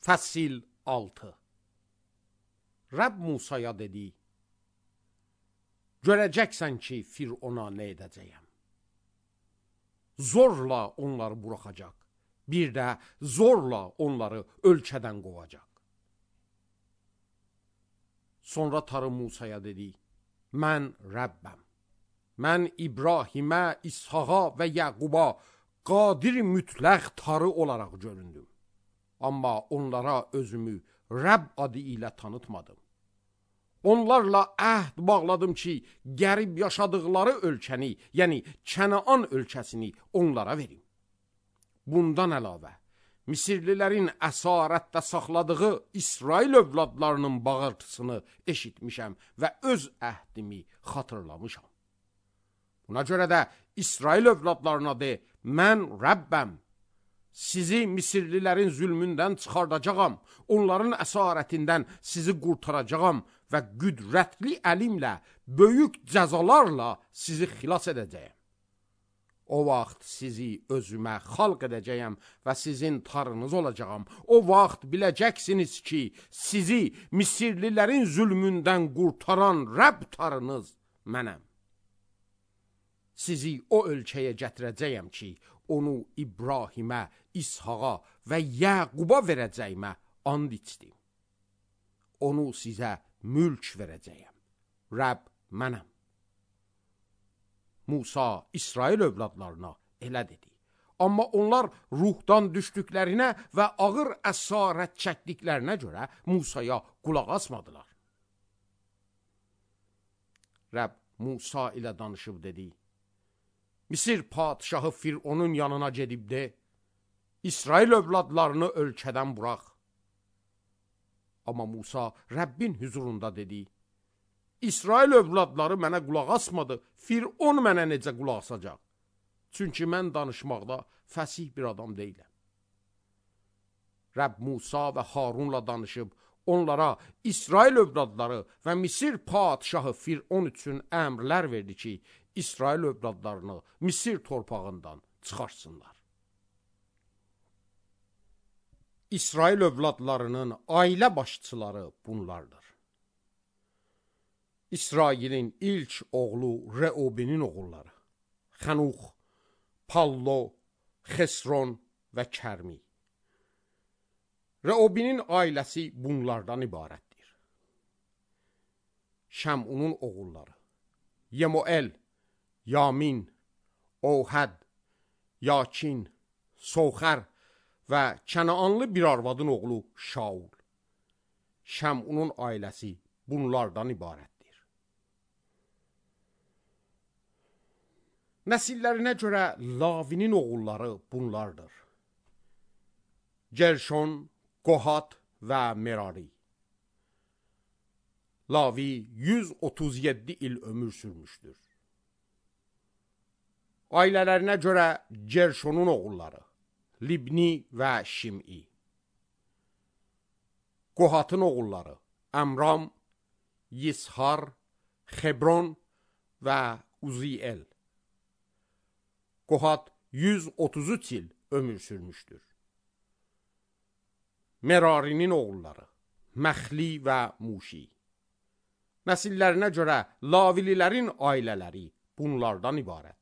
Fəsil 6. Rəbb Musaya dedi, görəcəksən ki, Firona nə edəcəyəm. Zorla onları buraxacaq, bir də zorla onları ölkədən qovacaq. Sonra Tanrı Musaya dedi, mən Rəbbəm. Mən İbrahimə, İshaqa və Yaquba qadir mütləq Tanrı olaraq göründüm. Amma onlara özümü Rəbb adı ilə tanıtmadım. Onlarla əhd bağladım ki, qərib yaşadıqları ölkəni, yəni Kənaan ölkəsini onlara verim. Bundan əlavə, Misirlilərin əsarətdə saxladığı İsrail övladlarının bağırtısını eşitmişəm və öz əhdimi xatırlamışam. Buna görə də İsrail övladlarına de, mən Rəbbəm. Sizi Misirlilərin zülmündən çıxardacağam, onların əsarətindən sizi qurtaracağam və qüdrətli əlimlə, böyük cəzalarla sizi xilas edəcəyəm. O vaxt sizi özümə xalq edəcəyəm və sizin Tanrınız olacağam. O vaxt biləcəksiniz ki, sizi Misirlilərin zülmündən qurtaran Rəbb Tanrınız mənəm. Sizi o ölkəyə gətirəcəyəm ki, onu İbrahimə, İshaqa və Yaquba verəcəyimə and içdim. Onu sizə mülk verəcəyəm. Rəbb mənəm. Musa İsrail övladlarına elə dedi. Amma onlar ruhdan düşdüklərinə və ağır əsarət çəkdiklərinə görə Musaya qulaq asmadılar. Rəbb Musa ilə danışıb dedi, Misir padişahı Fironun yanına gedib de, İsrail övladlarını ölkədən burax. Amma Musa Rəbbin huzurunda dedi, İsrail övladları mənə qulaq asmadı, Firon mənə necə qulaq asacaq? Çünki mən danışmaqda fəsih bir adam deyiləm. Rəbb Musa və Harunla danışıb, onlara İsrail övladları və Misir padişahı Firon üçün əmrlər verdi ki, İsrail övladlarını Misir torpağından çıxarsınlar. İsrail övladlarının ailə başçıları bunlardır. İsrailin ilk oğlu Reubinin oğulları, Xanux, Pallo, Xesron və Kərmi. Reubinin ailəsi bunlardan ibarətdir. Şəmunun oğulları, Yemuel, Yamin, Ohəd, Yakin, Soxər və Kənaanlı bir arvadın oğlu Şaul. Şəmunun ailəsi bunlardan ibarətdir. Nəsillərinə görə Lavinin oğulları bunlardır. Gerşon, Qohat və Merari. Lavi 137 il ömür sürmüşdür. Ailələrinə görə Gerşonun oğulları, Libni və Şim'i. Qohatın oğulları, Əmram, Yishar, Xebron və Uziel. Qohat 133 il ömür sürmüşdür. Merarinin oğulları, Məxli və Muşi. Nəsillərinə görə Lavililərin ailələri bunlardan ibarətdir.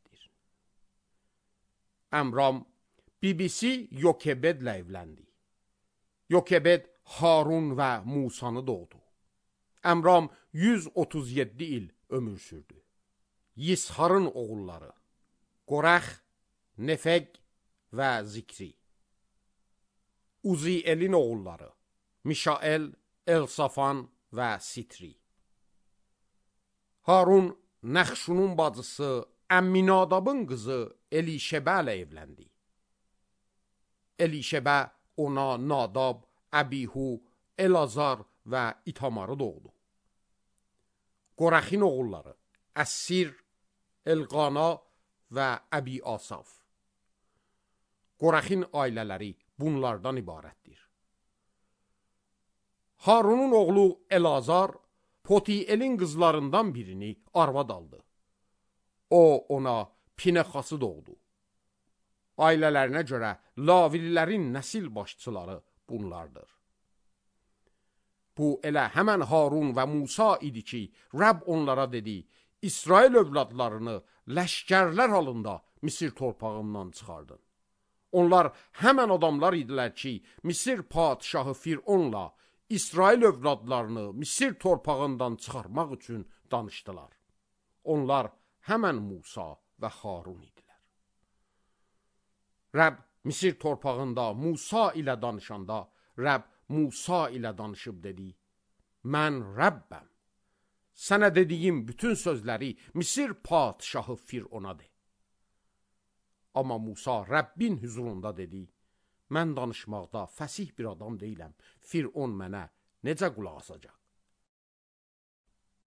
Əmram bibisi Yokebedlə evləndi. Yokebed Harun və Musanı doğdu. Əmram 137 il ömür sürdü. Yisharın oğulları, Qorəx, Nefeg və Zikri. Uzielin oğulları, Mişael, Elsafan və Sitri. Harun Nəxşunun bacısı Əmminadabın qızı Elişebə ilə evləndi. Elişebə ona Nadab, Əbihu, Elazar və İtamarı doğdu. Qorəxin oğulları Əssir, Elqana və Əbi Asaf. Qorəxin ailələri bunlardan ibarətdir. Harunun oğlu Elazar, Potielin qızlarından birini arvad aldı. O ona Pinexası doğdu. Ailələrinə görə Lavililərin nəsil başçıları bunlardır. Bu elə həmən Harun və Musa idi ki, Rəbb onlara dedi, İsrail övladlarını ləşkərlər halında Misir torpağından çıxardın. Onlar həmən adamlar idilər ki, Misir padişahı Fironla İsrail övladlarını Misir torpağından çıxarmaq üçün danışdılar. Onlar həmən Musa və Harun idilər. Rəbb Misir torpağında Musa ilə danışanda, Rəbb Musa ilə danışıb dedi, mən Rəbbəm. Sənə dediyim bütün sözləri Misir padişahı Firona de. Amma Musa Rəbbin huzurunda dedi, mən danışmaqda fəsih bir adam deyiləm, Firon mənə necə qulaq asacaq?